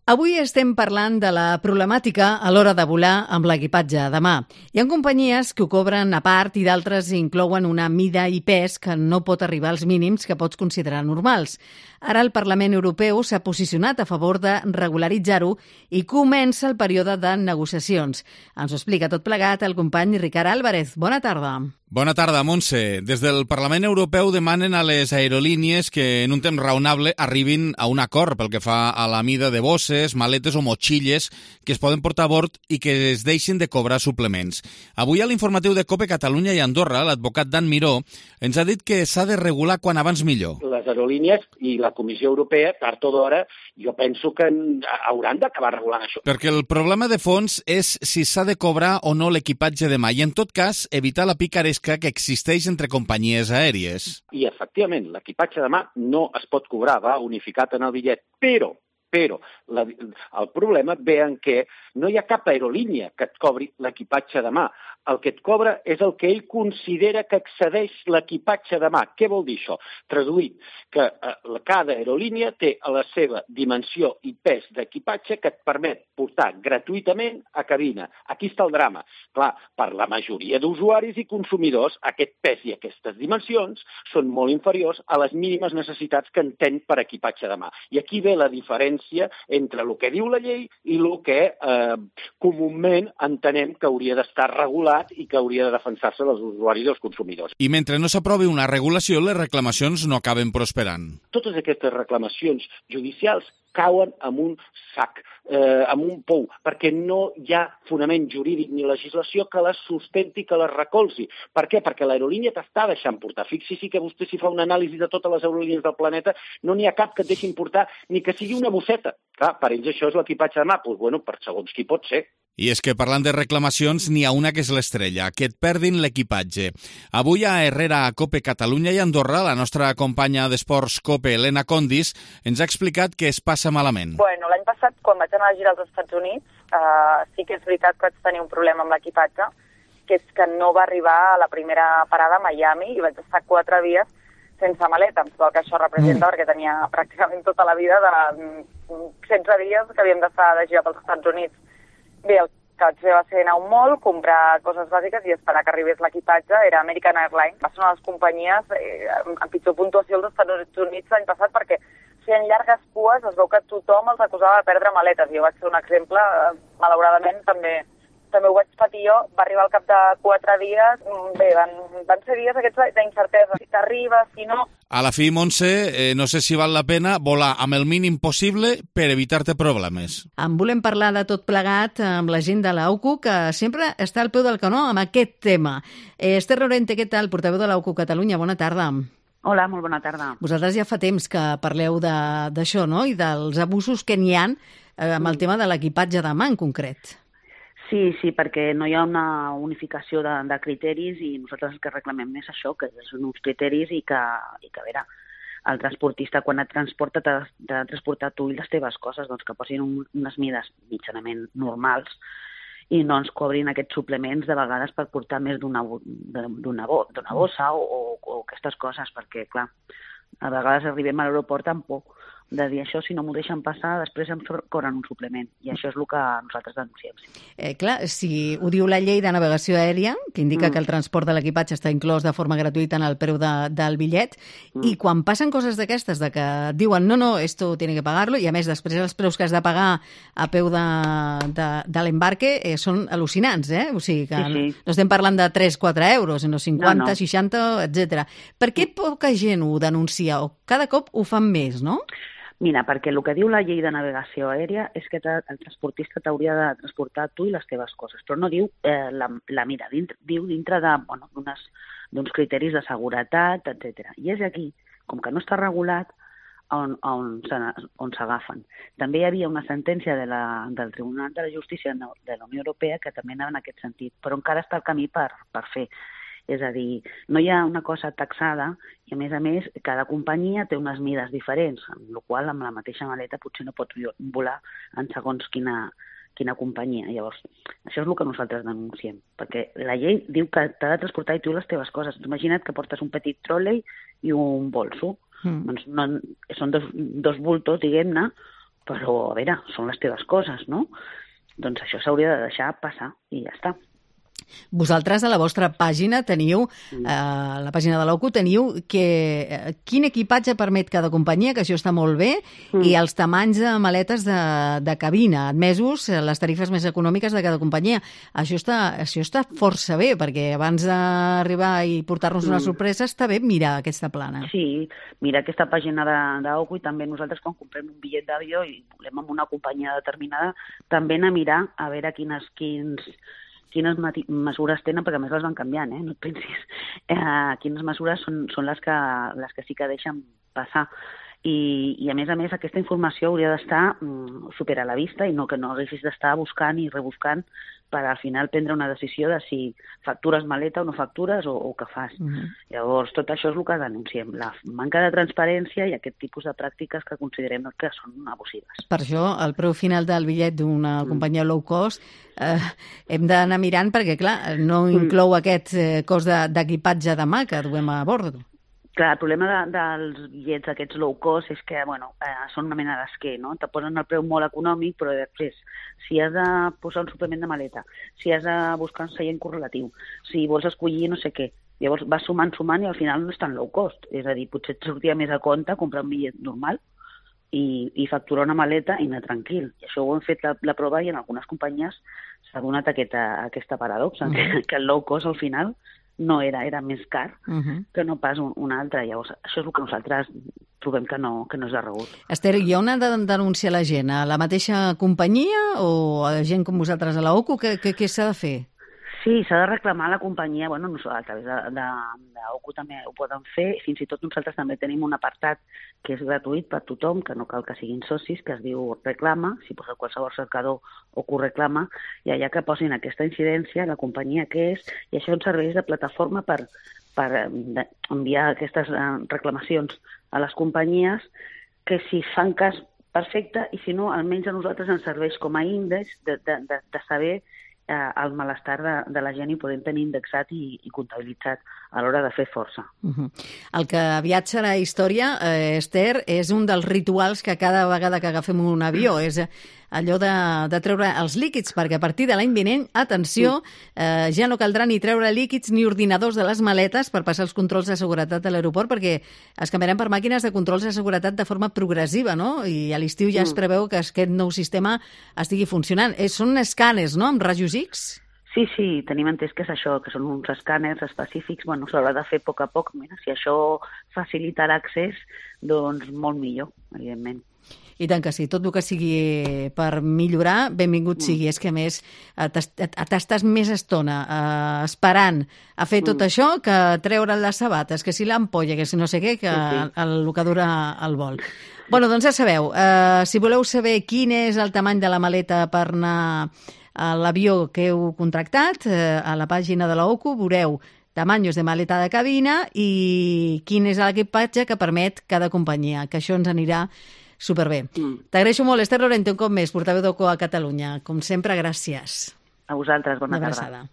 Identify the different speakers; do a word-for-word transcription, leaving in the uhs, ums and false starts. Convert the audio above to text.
Speaker 1: Avui estem parlant de la problemàtica a l'hora de volar amb l'equipatge de mà. Hi ha companyies que ho cobren a part i d'altres inclouen una mida i pes que no pot arribar als mínims que pots considerar normals. Ara el Parlament Europeu s'ha posicionat a favor de regularitzar-ho i comença el període de negociacions. Ens ho explica tot plegat el company Ricard Álvarez. Bona tarda.
Speaker 2: Bona tarda, Montse. Des del Parlament Europeu demanen a les aerolínies que en un temps raonable arribin a un acord pel que fa a la mida de bosses, maletes o motxilles que es poden portar a bord i que es deixin de cobrar suplements. Avui a l'informatiu de COPE Catalunya i Andorra, l'advocat Dan Miró ens ha dit que s'ha de regular quan abans millor.
Speaker 3: Les aerolínies i la Comissió Europea, tard o d'hora, jo penso que hauran d'acabar regulant això.
Speaker 2: Perquè el problema de fons és si s'ha de cobrar o no l'equipatge de mà i, en tot cas, evitar la picaresca que existeix entre companyies aèries.
Speaker 3: I, efectivament, l'equipatge de mà no es pot cobrar, va unificat en el bitllet, però Però la, el problema ve en què no hi ha cap aerolínia que et cobri l'equipatge de mà. El que et cobra és el que ell considera que excedeix l'equipatge de mà. Què vol dir això? Traduït, que eh, cada aerolínia té a la seva dimensió i pes d'equipatge que et permet portar gratuïtament a cabina. Aquí està el drama. Clar, per la majoria d'usuaris i consumidors, aquest pes i aquestes dimensions són molt inferiors a les mínimes necessitats que entén per equipatge de mà. I aquí ve la diferència entre el que diu la llei i el que eh, comúment entenem que hauria d'estar regulat i que hauria de defensar-se dels usuaris i dels consumidors.
Speaker 2: I mentre no s'aprovi una regulació, les reclamacions no acaben prosperant.
Speaker 3: Totes aquestes reclamacions judicials cauen en un sac, eh, en un pou, perquè no hi ha fonament jurídic ni legislació que les sustenti, que les recolzi. Per què? Perquè l'aerolínia t'està deixant portar. Fixi-s'hi que vostè si fa una anàlisi de totes les aerolínies del planeta, no n'hi ha cap que et deixin portar ni que sigui una bosseta. Clar, per ells això és l'equipatge de mà. Doncs, bueno, per segons qui pot ser.
Speaker 2: I és que parlant de reclamacions, n'hi ha una que és l'estrella, que et perdin l'equipatge. Avui a Herrera, a COPE Catalunya i Andorra, la nostra companya d'esports COPE, Elena Condis, ens ha explicat que es passa malament.
Speaker 4: Bueno, l'any passat, quan vaig anar a girar als Estats Units, eh, sí que és veritat que vaig tenir un problema amb l'equipatge, que és que no va arribar a la primera parada a Miami i vaig estar quatre dies sense maleta, amb tot el que això representa, mm. perquè tenia pràcticament tota la vida de setze dies que havíem d'estar de girar pels Estats Units. Bé, el que vaig fer va ser anar a un mall, comprar coses bàsiques i esperar que arribés l'equipatge. Era American Airlines. Va ser una de les companyies eh, amb pitjor puntuació als Estats Units l'any passat perquè feien llargues cues, es veu que tothom els acusava de perdre maletes. Jo vaig ser un exemple, malauradament també també ho vaig patir jo, va arribar al cap de quatre dies, bé, van, van ser dies aquests d'incertesa, si t'arriba, si no...
Speaker 2: A la fi, Montse, eh, no sé si val la pena volar amb el mínim possible per evitar-te problemes.
Speaker 1: En volem parlar de tot plegat amb la gent de l'A U C U, que sempre està al peu del canó amb aquest tema. Eh, Esther Lorente, què tal, portaveu de l'A U C U Catalunya? Bona tarda.
Speaker 5: Hola, molt bona tarda.
Speaker 1: Vosaltres ja fa temps que parleu d'això, no?, i dels abusos que n'hi ha eh, amb el tema de l'equipatge de mà en concret.
Speaker 5: Sí, sí, perquè no hi ha una unificació de, de criteris i nosaltres el que reclamem és això, que són uns criteris i que, i que a veure, el transportista quan et transporta t'ha de transportar tu i les teves coses, doncs que posin un, unes mides mitjanament normals i no ens cobrin aquests suplements de vegades per portar més d'una d'una bossa o, o, o aquestes coses, perquè, clar, a vegades arribem a l'aeroport amb por de dir això, si no m'ho deixen passar, després em cobren un suplement. I això és el que nosaltres denunciem. Sí.
Speaker 1: Eh, clar, si ho diu la llei de navegació aèria, que indica mm. que el transport de l'equipatge està inclòs de forma gratuïta en el preu de, del bitllet, mm. i quan passen coses d'aquestes, de que diuen, no, no, esto tiene que pagarlo, i a més després els preus que has de pagar a peu de, de, de l'embarque eh, són al·lucinants, eh? O sigui que sí, sí. no estem parlant de tres a quatre euros, sinó cinquanta, no, no. seixanta, etcètera. Per què poca gent ho denuncia? O cada cop ho fan més, no?
Speaker 5: Mira, perquè el que diu la llei de navegació aèria és que el transportista t'hauria de transportar tu i les teves coses, però no diu eh, la, la mira, dintre, diu dintre de, bueno, d'uns criteris de seguretat, etcètera. I és aquí, com que no està regulat, on, on, on s'agafen. També hi havia una sentència de la, del Tribunal de la Justícia de la Unió Europea que també anava en aquest sentit, però encara està el camí per, per fer. És a dir, no hi ha una cosa taxada i, a més a més, cada companyia té unes mides diferents, amb la qual amb la mateixa maleta potser no pots volar en segons quina, quina companyia. Llavors, això és el que nosaltres denunciem, perquè la llei diu que t'ha de transportar i tu les teves coses. Imagina't que portes un petit tròlei i un bolso. Mm. Doncs no, són dos, dos bultos, diguem-ne, però, a veure, són les teves coses, no? Doncs això s'hauria de deixar passar i ja està.
Speaker 1: Vosaltres a la vostra pàgina teniu, eh, la pàgina de l'O C U, teniu que, eh, quin equipatge permet cada companyia, que això està molt bé, mm. i els tamanys de maletes de, de cabina, admesos les tarifes més econòmiques de cada companyia. Això està, això està força bé, perquè abans d'arribar i portar-nos mm. una sorpresa està bé mirar aquesta plana.
Speaker 5: Sí, mira aquesta pàgina de, de O C U, i també nosaltres quan comprem un bitllet d'avió i volem amb una companyia determinada, també anar a mirar a veure quines, quins... quines mesures tenen, perquè a més les van canviant, eh? No et pensis. Eh, quines mesures són, són les, que, les que sí que deixen passar. I, i a més a més aquesta informació hauria d'estar mm, super a la vista i no que no haguessis d'estar buscant i rebuscant per al final prendre una decisió de si factures maleta o no factures o, o què fas. Uh-huh. Llavors, tot això és el que denunciem, la manca de transparència i aquest tipus de pràctiques que considerem que són abusives.
Speaker 1: Per això, el preu final del bitllet d'una mm. companyia low cost eh, hem d'anar mirant perquè, clar, no inclou mm. aquest eh, cost d'equipatge de mà que duem a bord.
Speaker 5: Clar, el problema de, dels bitllets aquests low cost és que, bueno, eh, són una mena d'esquer, no? Te posen el preu molt econòmic, però després, si has de posar un suplement de maleta, si has de buscar un seient correlatiu, si vols escollir no sé què, llavors vas sumant, sumant i al final no és tan low cost. És a dir, potser et sortia més a compte comprar un bitllet normal i, i facturar una maleta i anar tranquil. I això ho hem fet la, la prova i en algunes companyies s'ha donat aquesta, aquesta paradoxa, uh-huh. que, que el low cost al final no era, era més car uh-huh. que no pas un, un altre. Llavors, això és el que nosaltres trobem que no, que no és de rebut.
Speaker 1: Esther, hi ha una de denunciar la gent a la mateixa companyia o a gent com vosaltres a la O C U? Què, què, què s'ha de fer?
Speaker 5: Sí, s'ha de reclamar a la companyia, bueno, no, a través de, de, de O C U també ho poden fer, fins i tot nosaltres també tenim un apartat que és gratuït per tothom, que no cal que siguin socis, que es diu Reclama, si posa qualsevol cercador O C U Reclama, i allà que posin aquesta incidència, la companyia que és, i això ens serveix de plataforma per, per enviar aquestes reclamacions a les companyies, que si fan cas perfecte, i si no, almenys a nosaltres ens serveix com a índex de, de, de, de saber eh, el malestar de, de la gent i podem tenir indexat i, i comptabilitzat a l'hora de fer força.
Speaker 1: Uh-huh. El que aviat serà història, eh, Esther, és un dels rituals que cada vegada que agafem un avió, és allò de, de treure els líquids, perquè a partir de l'any vinent, atenció, eh, ja no caldrà ni treure líquids ni ordinadors de les maletes per passar els controls de seguretat a l'aeroport, perquè es canviaran per màquines de controls de seguretat de forma progressiva, no? I a l'estiu ja es preveu que aquest nou sistema estigui funcionant. Eh, són escàners, no?, amb rajos X?
Speaker 5: Sí, sí, tenim entès que és això, que són uns escàners específics, bueno, s'haurà de fer a poc a poc, mira, si això facilita l'accés, doncs molt millor, evidentment.
Speaker 1: I tant que sí, tot el que sigui per millorar, benvingut mm. sigui. És que, a més, t'estàs més estona eh, esperant a fer tot mm. això que treure les sabates, que si l'ampolla, que si no sé què, que sí, sí. El, el que dura el vol. Bueno, doncs ja sabeu, eh, si voleu saber quin és el tamany de la maleta per anar a l'avió que heu contractat, eh, a la pàgina de la O C U veureu tamaños de maleta de cabina i quin és l'equipatge que permet cada companyia, que això ens anirà superbé. Mm. T'agraeixo molt, Esther Lorente, un cop més, portaveu d'O C U a Catalunya. Com sempre, gràcies.
Speaker 5: A vosaltres, bona tarda.